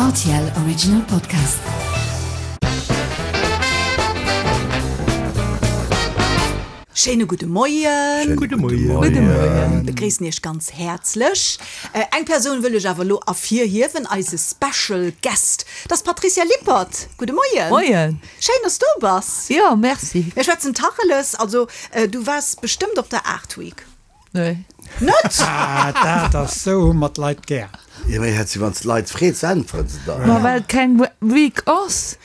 Rtl Original Podcast. Schéine gudde Moien. Gudde Moien. Gudde Moien. Begréissen Iech ganz häerzlech. Eng Persoun wëll ech awer elo ervirhiewen, eise Special Guest. Dat ass d'Patricia Lippert. Gudde Moien. Moien. Schéin, dass du do bass. Jo, merci. Mir schwätzen Tacheles. Also, du waars bestëmmt op der Art Week. Nee. Net? Ah, dat ass, sou hu mer d'Leit gär. Jo, mee hätt si, wann s d'Leit freets, äntweren se der. Ma well et keng Week ass.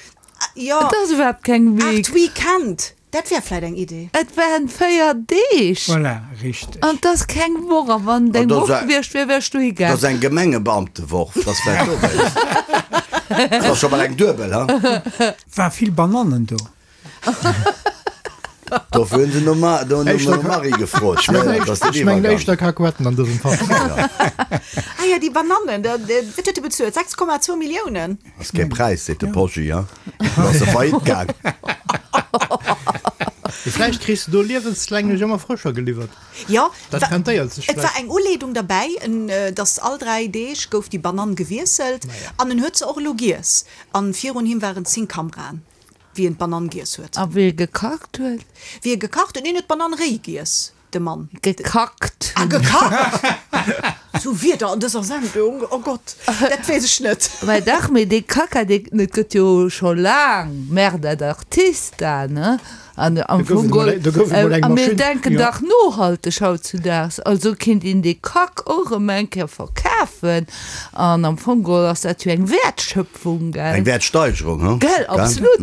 Jo. Et ass iwwerhaapt keng Week. Art Weekend, dat wär vläit eng Idee. Et waren 4 Deeg. Voilà, richteg. An et ass keng Woch. A wann et eng Woch gewiescht wier, wär ech dohi gaang. Dat ass eng Gemengebeamtewoch, dat ass vläicht dowéinst. Dat ass scho bal eng duebel, ha? War vill Banannen do? Dofir hunn se nom Marie gefrot. Ech mengen éischter Kakuetten an dësem Fall. Ah jo, déi Banannen, wat huet e bezuelt? 6,2 Milliounen? Ass kee Präis, seet de Poggi, ha? Do ass e faillite gaang. Mee vläicht kriss de do liewenslänglech ëmmer frëscher geliwwert. Jo, Dat rentéiert sech et war vläicht. eng Uleedung derbäi, dass all 3 Deeg gouf déi Banann gewiesselt an en huet se och elo giess. An virun him waren 10 Kameraen. Wéi en d'Banann giess huet. A wéi e gekacht huet. Wéi e gekacht huet? Neen, huet d'Banann réi giess, de Mann. Gekackt. Ah, gekackt! Sou Wierder an dëser Sendung, oh Gott, dat weess ech net. Mä dach, mee dee Kacka, dee, et gëtt jo scho laang Merda d'Artista, ne? An am Fong geholl, a mir denken dach nohalteg hautzudaags, also kinnt een dee Kack och erëm eng Kéier verkafen. An am Fong geholl ass dat jo eng Wäertschöpfung, gell? Eng Wäertsteigerung, hu? Gell, absolut.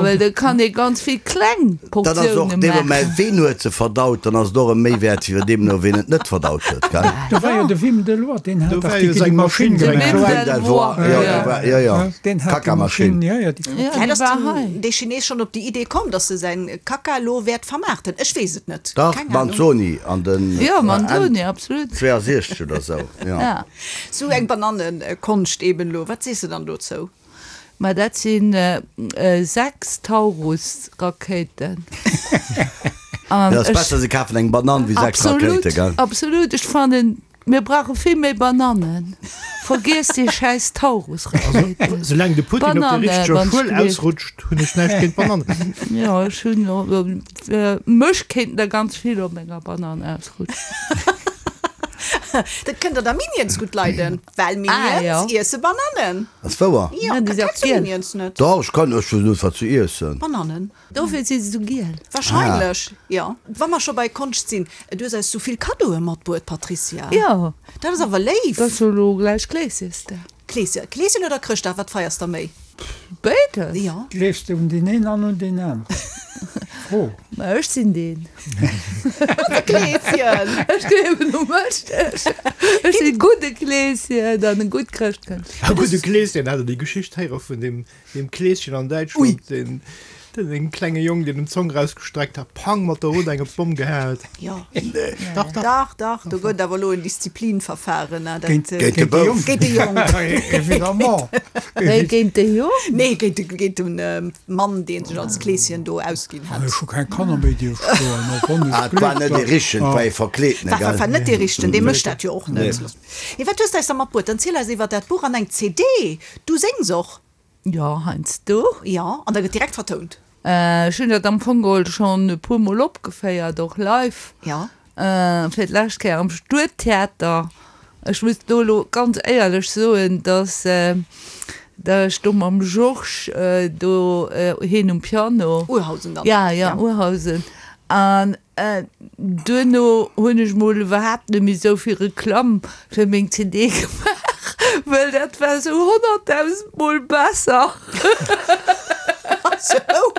Well da kann ee ganz vill kleng Dat ass och Portioune dee maachen. Moment, ween huet se verdaut, dann ass et och e Méiwäert wéi deemno, ween et net verdaut huet, gell? Do war jo de Wim Delvoye, deen hat Do dach war déi jo seng Maschinn Maschinn gemaach. De Wim Wim Delvoye, jo, do war, jo, jo, Deen hat déi Kackermaschinn. Maschinn, jo, jo, déi Ja, Vläit déi ass war den, hei. dee Chines schonn op déi Idee komm, dass e säin Kacka elo wäert vermaarten. Ech weess et net. Dach, Keng Ahnung. Manzoni an den Jo, Enn Manzoni, absolut. 62 oder sou, jo. Ja. Sou eng Banannenkonscht eben elo. Wat sees de dann dozou? Ma dat si 6 Taurus-Rakéiten. An Et ass besser, se kafen eng Banann wéi 6 Rakéiten, gell? Absolut, absolut. Ech fannen, mir brauche vill méi Banannen. Vergiesst déi schäiss Taurus-Rakéiten. Soulaang de Putin op der Bananne, richteger wann Schuel ech gleef. ausrutscht, hunn ech näischt géint Banannen. Jo, ech hunn, mech kéinten der ganz vill op menger Banann ausrutschen. Dat kënnt der der Minions gutt leiden, well Ah, Minions jo. iesse Banannen. Ass wouer? Jo, Ja, déi si och kenns du giel. Minions net? Dach, ech kann, ech weess net wat se iessen. Banannen. Dofir si se sou giel. Wahrscheinlech, jo. Wa mer scho bei Konscht sinn, du hues eis sou vill Kaddoe matbruet, Patricia. Jo. Dat ass awer léif. Dat ass jo elo gläich Kleesjesdag. Kleeschen, Kleeschen oder Chrëschtdag, wat feiers der méi? Béides. Jo. Gleefs de un deen een an un deen aneren? Fro. Ma ech sinn deen. De Kleeschen! Ech gleewen u mech. Ech sinn gudde Kleeschen an e gutt Chrëschtkënd. E gudde Kleeschen, hat der déi Geschicht héiere vun deem Deem Kleeschen an Däitschland, deen deen klenge Jong, deen em d'Zong rausgestreckt hat, pang, mat der Rut eng op d'Bomm gehaen huet. Jo. Nee. Dach, dach. Dach, dach, do gëtt awer elo en Disziplinverfahren, ne, dat. Géint, Géint de Bouf. Géint de Jong. Évidemment. Wéi, géint de Jong? Nee, géint de, géint de Mann, dee sech als Kleeschen do ausginn hat. Ech hu keng Kanner méi, déi ech schloen, och wann ech Ah, et war net dee gleeft. Richtegen, et war ee Verkleedene, War, war, gell? war net dee Richtegen, dee mécht dat jo och net. Nee. Mee wat hues de eis da matbruet? Dann ziel eis iwwer dat Buch an eng CD. Du séngs och? Jo, heiansdo. Jo, an da gëtt direkt vertount. Ech hunn dat am Fong geholl schonn e puer Mol opgeféiert, och live. Jo. Fir d'lescht Kéier am Stuedtheater. Ech muss do elo ganz éierlech soen, dass ech do mam Georges do, hien um Piano. Urhausen dann. Ja, ja, Urhausen. An Duerno hunn ech mol iwwerhaapt net méi esou vill Reklamm fir meng CD gemaach, well dat war esou 100.000 mol besser. Sou?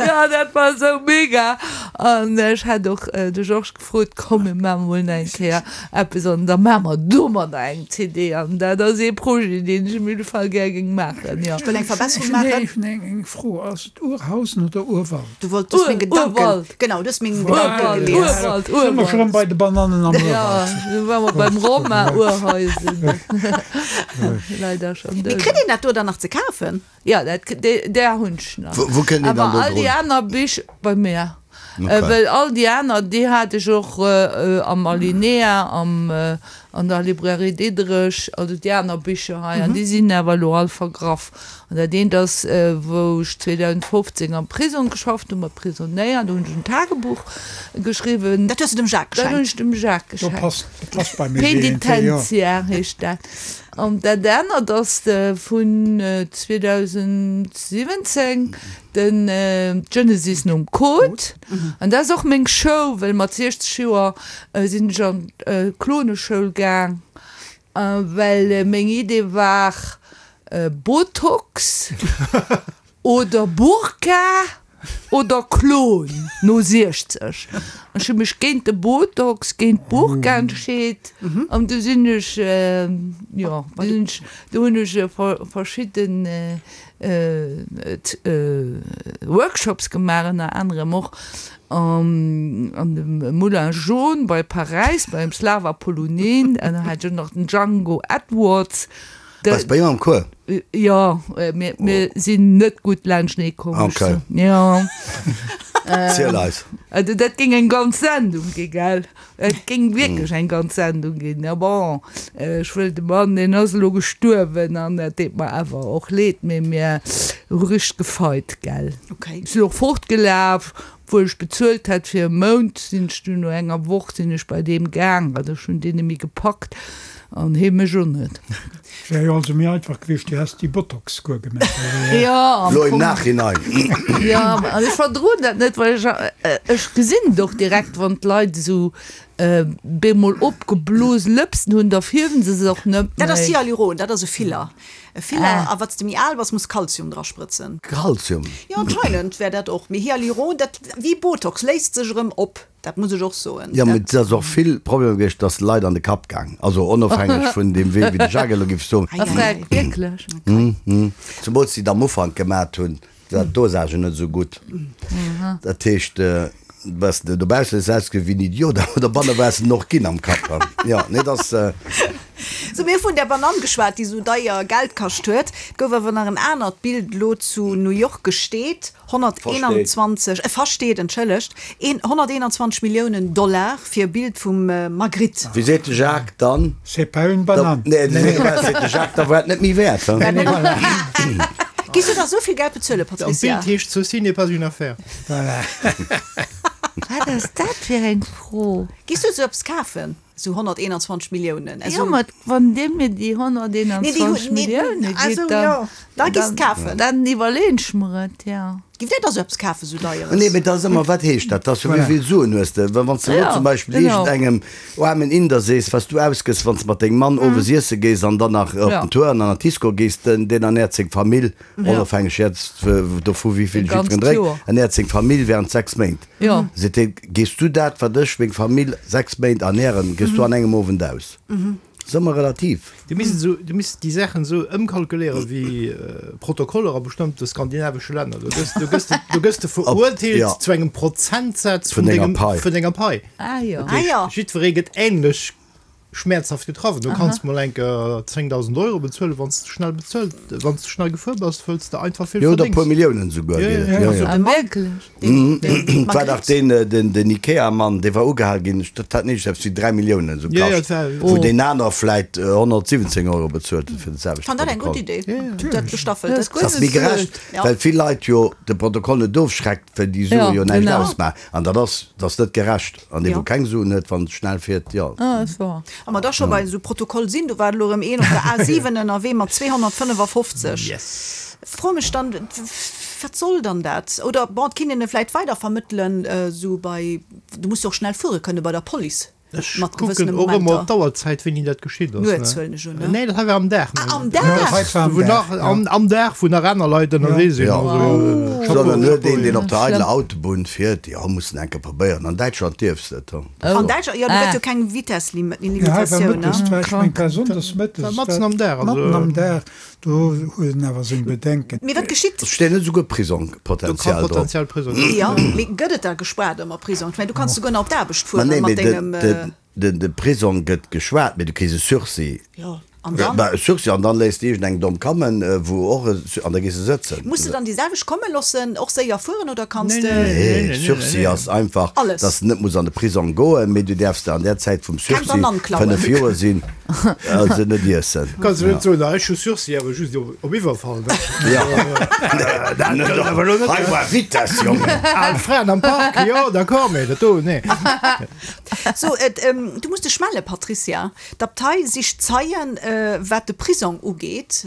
Jo, dat war esou mega. An ech hat och de Georges gefrot, komm mir maache mol nach eng Kéier eppes an da maache mer domadder eng CD. An dat ass ee Projet, deen ech op jidde Fall gär géing maachen, jo. Ech wëll eng Verbesserung maachen. Ech hunn eng Fro, Ass et Urhausen oder Urwald? Du wollt, du hues meng Gedanken, Urwald. genau, du hues meng Gedanken gelies. Urwald, Sinn mer schon Urwald. bei de Banannen am Ja, Urwald. du war mer beim Romain Urhäusen. Leider schon Mee dout. kritt een dat do dann nach ze kafen? Ja, dat, där hunn ech nach. Wou kënnt een dann Awer do all déi drun? aner Bich bei mir. Well all déi aner, déi hat ech och am Alinéa, am, an der Librairie Diderich, also déi aner Bicher hei, an déi sinn awer elo all vergraff. An dat eent ass, wou ech 2015 am Prisong geschafft hunn, mat Prisonéier, do hunn ech en Tagebuch geschriwwen. Dat hues de dem Jacques geschenkt? Dat hunn ech dem Jacques geschenkt. Penitentiaire heescht dat. An dat anert ass vun 2017, den Genesis nom Code. An dat ass och meng Show, well mat 60 Joer sinn ech an d'Kloneschoul gaang, well meng Idee war Botox oder Burka oder Klon no 60. Ech hu mech géint de Botox, géint d'Burka entscheet an du sinn ech, jo, du hunn ech verschidden Workshops gemaach, ënner anerem och an dem Moulin Jaune bei Paräis beim Slava Polunin, an da hat ech och nach den Django Edwards. Waars bei him am Cours? Jo, mir mir sinn net gutt laanschtenee komm. Okay. Jo. Ziel eis. Also dat géing eng ganz Sendung gi, gell? Et géing wierklech eng ganz Sendung ginn. A bon, ech wëll de Mann, deen ass elo gestuerwen an dat deet mer awer och leed, mee mir hu richteg gefeit, gell? Okay. Ech sinn och fortgelaf, obwuel ech bezuelt hat fir e Mount, sinn ech dunn no enger Woch sinn ech bei deem gaang, well ech hunn deen nemme gepackt an hee mech och net. Wär jo also méi einfach gewiescht, du häss déi Botox-Kur gemaach. Jo, am Lo im Fong. Nachhinein. Jo, an ech verdroen dat net, well ech, ech gesinn et och direkt, wann d'Leit esou bemol opgeblose Lëpsen hunn, da fierwen se se och net Dat ass méi. Hyaluron, dat ass e Filler. E Filler, a wat s de méi al bass, muss Kalzium dra sprëtzen. Kalzium? Jo, anscheinend wär dat och. Mee Hyaluron, dat, wéi Botox, léist sech erëm op. Dat muss ech och soen. Jo, mee et ass och vill Problemer gewiescht, dass Leit an de Kapp gaang, also onofhängeg vun deem Wee, wéi de Jacques elo géif soen. A Freck, wierklech? Zemools déi et am Ufank gemat hunn, war d'Dosage net esou gutt. Dat heescht, bass de dobaussen hues de ausgesinn wéi en Idiot, awer dobanne waars de en och ginn am Kapp. Jo, nee, et ass. Sou, mir hu vun där Banann geschwat, déi esou deier Geld kascht huet. Et gouf awer nach en anert Bild elo zu New York gesteet. 121, äh, versteet, entschëllegt, een 121 Milliounen Dollar fir e Bild vum Magritte. Wéi seet de Jacques dann? C'est pas une banane. Nee, wéi seet de Jacques, da war et net méi wäert, he? Giss du da sou vill Geld bezuelen, An Patricia? d'Bild heescht Ceci n'est pas une affaire. Voilà. Wat ass dat fir eng Fro? Giss du sou eppes kafen? Esou 121 Milliounen. Jo, ma wann Dir mir déi 121 Millioune gitt, dann, da giss de kafen. Dann iwwerleeën ech mer et, jo. Giff Dir da sou eppes kafen, sou Deieres? Nee, mee dat ass ëmmer, wat heescht dat? Dat ass jo, wéi vill Suen hues de? Well wann s de elo zum Beispill iergendengem aarmen Inder sees, wat s du ausgëss, wann s de mat dengem Mann owes iesse gees an dann nach op den Tour an an d'Disco gees, den, deen ernäert seng Famill, onofhängeg jetzt dovu wéi vill jiddwereen drénkt, ernäert seng Famill während 6 Méint. Seet hien, gees du dat, wat ech meng Famill 6 Méint ernären, gees du an engem Owend aus? Ass ëmmer relativ. Du misst esou, du misst déi Saachen esou ëmkalkuléieren wéi Protokoller a bestëmmte skandinavesche Länner. Do gëss, do gëss de, do gëss de verurteelt zu engem Prozentsaz vun dengem, vun denger Pai. Ah jo. Dat heescht, jiddweree gëtt änlech schmäerzhaft getraff. Du kanns mol eng Kéier 10.000 Euro bezuelen, wann s de schnell bezuelt, wann s de schnell gefuer bass, wëlls de einfach vill Jo, oder e verdéngs. puer Milliounen esouguer geet et. Jo, jo. Ah, wierklech? Et war dach deen, den, den Ikea-Mann, dee war ugehal ginn, dat hat net eppes wéi 3 Milliounen esou Jo, jo, kascht, et war. wou deen aner vläit 117 Euro bezuelt huet fir de selwechte Fand dat eng gutt Protokoll. Idee, dat gestaffelt. Dat ass Dat ass méi gerecht, well vill Leit jo de Protokoll net ofschreckt, well déi Sue jo näischt ausmaachen. An dat ass, dat ass net gerecht. An dee wou keng Suen huet, wann et schnell fiert, jo. Ah, ass wor. A mer da scho bei esou Protokoll sinn, do war elo erëm een op der A7 ënnerwee mat 255. Yes. Froe mech dann, wat soll dann dat? Oder bon, et kinnt een e vläit weidervermëttelen, esou bei, du muss jo och schnell fuere kënne bei der Police. Ech Mat kucken gewëssene och ëmmer op Momenter. d'Auerzäit, wéini dat geschitt ass. Nuets huelen ech un, ne? Nee, dat hei war am Dag. Ah, am Ja, Dag! hei war am Wou Dag, nach, ja. am, am Dag, wou nach aner Leit ënnerwee sinn. Ja. Also, Chapeau, Sondern nur Chapeau, deen, deen op der Schlëmm. eideler Autobunn fiert, jo, muss en enke probéieren. An Däitschland dierfs de et. An Däitschland, jo, do gëtt Ah. jo keng Ja, hei war Vitesslimitatioun, ne? mëttes, war ech meng war sonndes mëttes. War matzen am Dag, also. Matten am Dag, do huet en awer seng Bedenken. Mee wat geschitt? Et steet net esouguer Do kann Prisongpotenzial drop. potenziell Prisong drop Jo, stoen. mee gëtt et da gespaart ëmmer Prisong? Ech mengen, du kanns souguer nach op d'Aarbecht Ma fueren nee, mat mee dengem. de, de, de Prisong gëtt geschwat, mee du kriss e Sursis. Jo. An dann? Bah, Sursis, an dann léisst de iergend eng domm kammen, wou och e, an da gees de sëtzen. Muss de dann déi selwecht komme loossen, och séier fueren oder kanns de? Nee, Sursis ass einfach, Alles. dass de net muss an de Prisong goen, mee du däerfs der an där Zäit vum Keng Sursis, Banann klauen. 5 Joer sinn, also net iessen. Kanns du net soen, ah ech hu Sursis, awer just op Iwwerfall, ne? Jo. Dat gëllt awer elo net. Hei war Vitess, Jongen. Al Fraen am Park, jo, d'accord, mee dat do, nee. So, et, du muss dech melle, Patricia. D'Abtei sicht Zeien, wat de Prisong ugeet,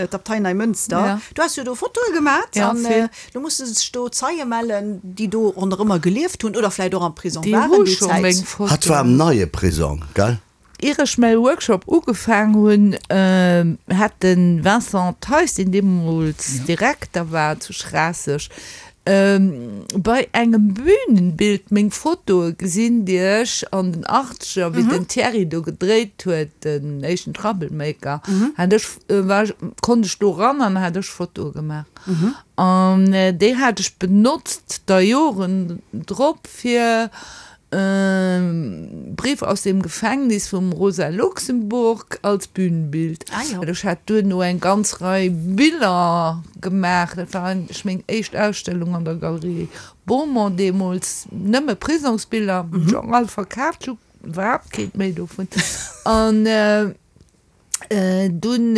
d'Abtei Neimënster. Du has jo do Fotoe gemat an elo musse sech do Zeie mellen, déi do ronderëmmer gelieft hunn oder vläicht och am Prisong waren déi Zäit. Hatt war am neie Prisong, gell? Ier ech mäi Workshop ugefaang hunn, hat de Vincent Theis, deen deemools Direkter war zu Schraasseg, Bei engem Bühnenbild meng Fotoe gesinn, déi ech an den Achtzeger, wéi den Thierry do gedréit huet, den éischten Troublemaker, hat ech, war ech, konnt ech do ran an hat ech Fotoe gemaach. An déi hat ech benotzt da Joren drop fir Brief aus dem Gefängnis vum Rosa Luxemburg als Bühnenbild. Ech hat duerno eng ganz Rei Biller gemaach. Dat war eigentlech meng éischt Ausstellung an der Galerie Beaumont deemools. Nëmme Prisongsbiller, hunn ech och all verkaaft, ech hu iwwerhaapt keent méi dovun. An dunn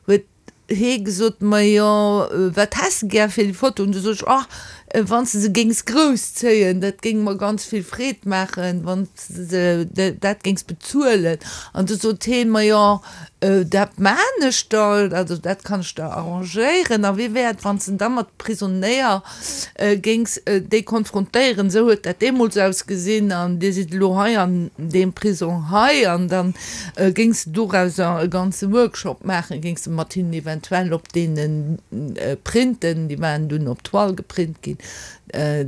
huet hee gesot, Majo, wat häss de gär fir déi Foto? An du sot ech, Ach, wann s de se géings grouss zéien, dat géing mer ganz vill Freed maachen, wann s de dat géings bezuelen. An du sot heen, Majo, dat maan ech der, also dat kann ech der arrangéieren. A wéi wär et, wann s de da mat Prisonéier géings déi konfrontéieren, esou huet dat deemools ausgesinn an dir sidd elo hei an deem Prisong hei an dann géings de dorauser e ganze Workshop maachen, géings de mat hinnen eventuell op deene Printen, déi waren dunn op Toile geprint ginn,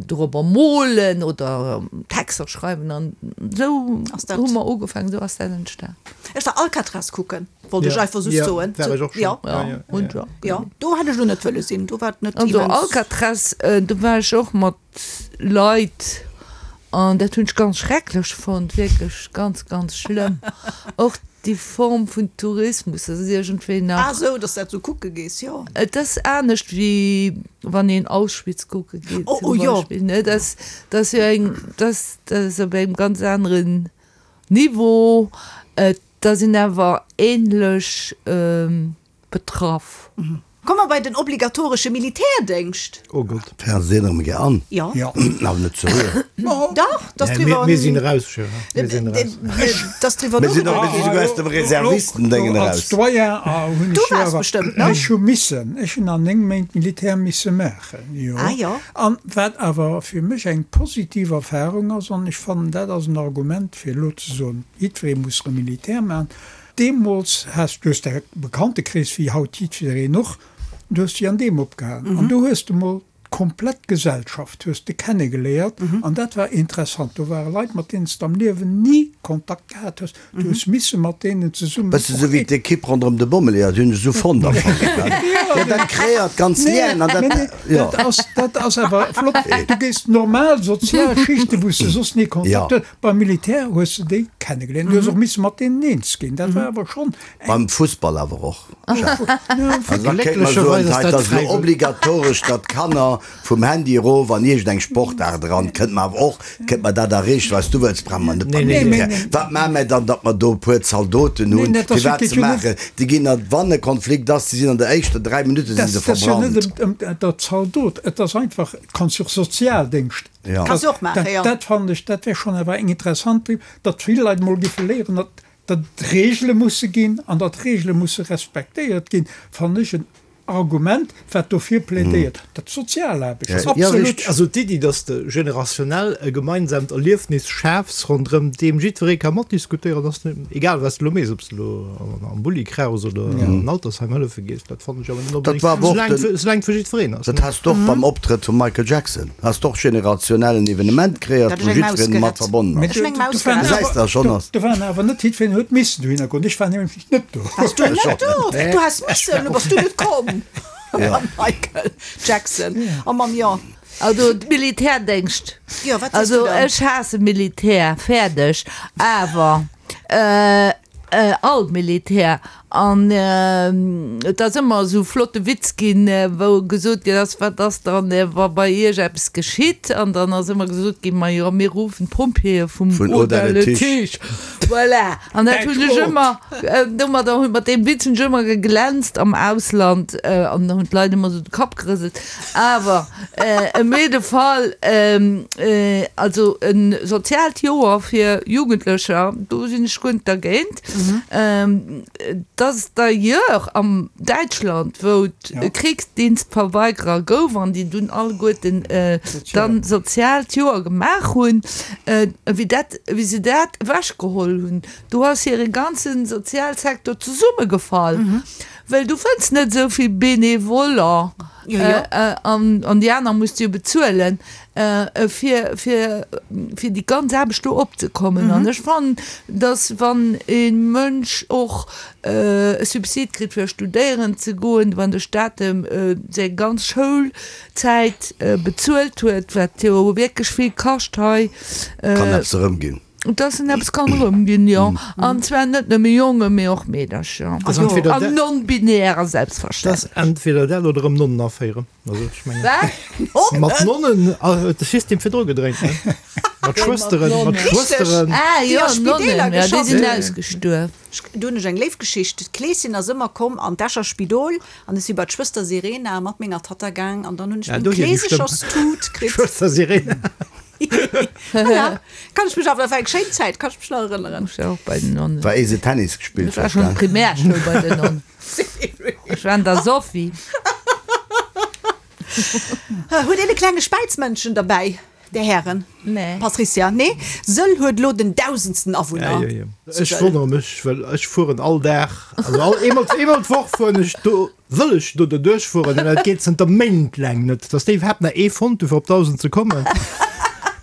dorobber molen oder Texter schreiwen an esou hu mer ugefaangen, esou ass dat entstan. Ech war Alcatraz kucken. Wollt ech einfach just soen. War ech och schon. Ja. Ja. Ja, do hätt ech lo net wëlle sinn. Do war et net Also immens. Alcatraz, do war ech och mat Leit an dat hunn ech ganz schrecklech fonnt, wierklech ganz, ganz schlëmm. Och déi Form vun Tourismus, dat ass iergendwéi nach. Ah sou, dass dat sou kucke gees, jo. Et ass anescht wéi wann een Auschwitz kucke geet Oh, zum oh jo. Beispill, ne? Dat ass jo eng, dat ass op engem ganz aneren Niveau. Et Da sinn awer ähnlech betraff. Komme mer bei den obligatoresche Militärdéngscht. Oh Gott. Fernsehen erëm gär an. Jo. Awer net ze rühren. Dach, dass driwwer. Mir sinn eraus, Gérard. Mir sinn eraus. Dass driwwer Mir sinn och, mir sinn souguer aus dem Reservistendéngen eraus. Als Doyen hunn Du ech jo waars awer, bestëmmt, ne? ech hu missen, ech hunn an 9 Méint Militär misse maachen, jo. Ah jo. An wat awer fir mech eng positiv Erfahrung ass, an ech fannen dat ass en Argument fir elo ze soen, Jiddweree muss rëm Militär maachen. Deemools has du hues däi Bekanntekrees, wéi haut jiddwereen och, du hues dech an deem opgehalen. An do hues de mol d'komplett Gesellschaft hues de kennegeléiert an dat war interessant. Do ware Leit, mat deenen s de am Liewen ni Kontakt gehat hues. Du hues misse mat deenen zesummen Bësse sou wéi d'Ekipp ronderëm de Bommeleeër, dat hunn ech esou fonnt am Fong. Jo, dat kreéiert ganz Lienen an dat, jo. Dat ass, dat ass awer flott. Du gees normal sozial Schichten, wou s de soss ni Kontakt hues, Beim Militär hues de déi kennegeléiert. Du hues och misse mat deenen eens ginn. Dat war awer schonn eng. Beim Fussball awer och, Jacques. Also da kéint mer soen, hei, et ass elo obligatoresch, datt d'Kanner vum Handy erof an iergendeng Sportaart eran. Kënnt mer awer och, kënnt mer dat erreechen, wat s du wëlls, brauche mer net beim Militär. Wat maache mer dann, datt mer do e puer Zaldoten hunn, fir wat ze maachen? Déi ginn, wann e Konflikt ass, déi sinn an der éischter 3 Minutte si se Dat ass jo verbrannt. net ëm der Zaldot. Et ass einfach, kanns jo och Sozialdéngscht Ja. Kanns du och maachen, jo. Dat fannen ech, dat wär schonn awer eng interessant, datt vill Leit emol géife léieren, datt datt et Regele musse ginn an datt Regele musse respektéiert ginn, fannen ech en Argument, wat dofir plädéiert, datt Sozialaarbecht. Ja, Absolut. richteg. Also d'Iddi, datt s de generationell e gemeinsaamt Erliefnis schafs, ronderëm deem jiddweree ka matdiskutéieren, ass net, egal wat s de elo méchs, ob s de elo am Bulli kraus oder an Altersheim hëllefe gees, dat fannen ech awer net Dat onbedéngt, war awer och soulaang den, soulaang et fir jiddwereen ass, dat ne? has de och beim Optrëtt vum Michael Jackson, has de och generationell en Evenement kreéiert, Dat wou ech eng Maus jiddwereen mat gerett. verbonnen Mee ass. Ech hunn eng Maus do waren gerett. Gesäis awer, de, schonn do, ass. do waren awer net jiddwereen huet missen dohinner goen. Ech war nämlech net do. Waars du net do? Du häss missen, du bass du net komm. Ja. Michael Jackson a mam jo. Also Militärdéngscht. Jo, wat sees du Also dann? ech haasse Militär, fäerdeg. Awer. All Militär. An et ass ëmmer esou flotte Witz ginn, wou gesot ginn ass, Wat ass dann, wa bei Iech eppes geschitt? An dann ass ëmmer gesot ginn, Majo, mir ruffen d'Pompjeeë vum Haut-à-le-Tige. Voilà. An dat hunn ech ëmmer, domadder hunn, mat deem Witz hunn ech ëmmer geglänzt am Ausland an da hunn d'Leit ëmmer esou de Kapp gerëselt. Awer em jidde Fall, also e soziaalt Joer fir Jugendlecher, do sinn ech guer net dergéint. Dass d'ailleurs am Däitschland, wou et Kriegsdienstverweigerer gouf an déi dunn alleguerten dann soziaalt Joer gemaach hunn, wéi dat, wéi se dat ewechgeholl hunn, do ass hire ganze Sozialsektor zesummegefall. Well du fënns net esou vill Benevoller an déi aner muss de jo bezuelen, fir fir déi ganz Aarbecht do opzekommen. An ech fannen, datt wann e Mënsch och e Subsid kritt fir studéieren ze goen, wann de Staat em seng ganz Schoulzäit bezuelt huet, wat jo wierklech vill kascht hei, Kann eppes erëmginn. Dass en eppes kann erëmginn, jo. An zwar net nëmme Jongen, mee och Meedercher. An non-binärer selbstverständlech. Dat ass entweder dat oder erëm Nonnen aféieren. Also ech mengen. Wat? Mat Nonnen huet de System virdru gedréint, ne? Mat Schwësteren, mat Schwësteren. Ah jo, Nonnen, jo, déi sinn ausgestuerf. Do hunn ech eng léif Geschicht. D'Kleeschen ass ëmmer komm an d'Escher Spidol an ech si bei d'Schwëster Serena mat menger Tatta gaang an dann hunn ech meng Kleesecherstut kritt. Schwëster Serena. Voilà. Kann ech mech awer, dat war eng schéin Zäit, kann ech mech nach erënneren. Ech war och bei den Nonnen. War ee se Tennis gespillt Ech war schonn Primärschoul bei den Nonnen. Ech war an der Sophie. Huet een e klenge Späizmëndchen derbäi, Där Hären? Nee. Patricia, Nee. Sëll huet elo den dausendsten Awunner. Ja, ja, ja. Ech wonnere mech, well ech fueren all Dag, also all, eemol, eemol d'Woch fueren ech do. Wëll ech do derduerch fueren, an dat geet zënter Méint laang net, dass déi iwwerhaapt nach ee fonnt hu fir op 1.000 ze kommen,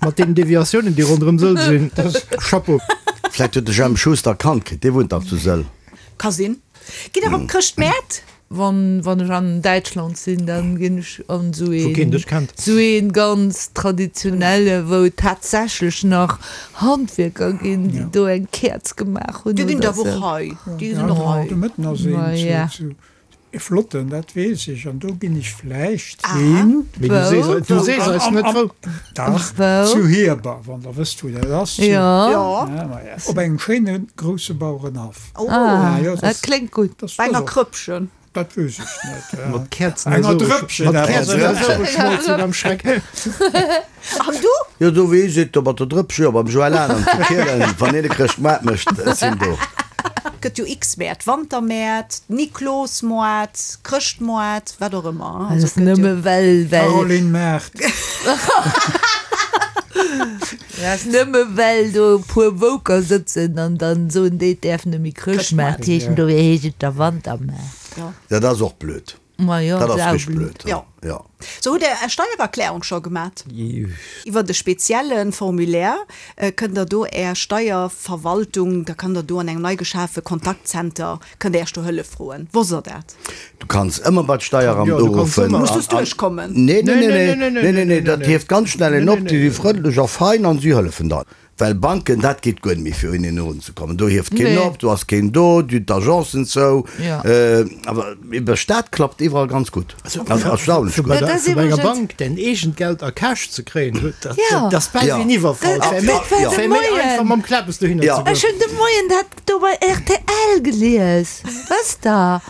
mat deenen Deviatiounen déi ronderëm Sëll sinn. Chapeau. Vläit huet de Jemp Schuster e Kand kritt, dee wunnt dach zu Sëll. Ka sinn. Gitt der op d'Chrëschtmäert? Wann wann ech an Däitschland sinn, dann ginn ech an esou Wou keen een dech kennt. esou een ganz traditionelle, wou et tatsächlech nach Handwierker ginn, déi do eng Käerz gemaach hunn Déi ginn oder et awer och sou. hei. Déi sinn och hei. De Mëtten ass een Ma ja. zu e flotten, dat weess ech, an do ginn ech vläicht hin. Mee du sees eis, du sees eis net wou. Dach, Wou? zu Hierber, wann der wësst wou dat ass. Zu, Jo. Jo. Ja, ma ja, op engem schéine grousse Bauerenhaff. Oh. Ah, Ja, jo, dat kléngt gutt. dat Bei enger ass och. Krëppchen. Dat wëss ech net. Mat Käerzen Enger Drëppchen mat awer. Käerzen esou geschmolz sinn am Schreck. An du? Jo, do wéi seet do mat der Drëppche, jo beim Joël Adam zu Kielen, wann een e Chrëschtmaart mécht, ech sinn do. Gëtt jo x Mäert, Wantermäert, Niklosmoart, Chrëschtmoart, wat och ëmmer. Dat ass nëmme well, well. Caroline Maart. Dat ass nëmme well do e puer Woker sëtzen an dann soen déi, et däerf net méi Chrëschtmaart heeschen, dofir heescht et da Wantermaart. Jo. Dat ass och blöd. Ma jo, Dat ass ass auch richteg blöd. blöd. Jo. Jo. So, hutt Der Är Steiererklärung scho gemat? Iwwert e spezielle Formulaire kënnt Der do Är Steierverwaltung, da kann Der do an engem nei geschafe Kontaktzenter, kënnt Der Iech do Hëllef froen. Wosst Der dat? Du kanns ëmmer bei d'Steieramt Jo, du kanns uruffen. ëmmer. Muss dus duerchkommen? Nee, nee, nee, nee, nee, nee, nee, nee, dat hieft ganz schnell een nee, op. nee, Déi si nee. frëndlech a fein an si hëllefen dann. Well Banken, dat geet guer net méi fir un een erunzekommen. Do hieft keen Nee. op, do ass keen do, du hunn d'Agencen zou. Ja. Awer iwwer Staat klappt iwwerall ganz gutt. Also erstaunlech Fir gutt. bei Dat der, ass fir bei enger iwwregens- Bank däin eegent Geld a Cash ze kréien, dat, Ja. dat ass bal Ja. wéi en Iwwerfall. Dat- Et wär méi, dat war et de wär méi Moien. einfach mam Klabes dohinner Ja. ze goen. Ech hunn de Moien dat do bei rtl gelies, wësst Der,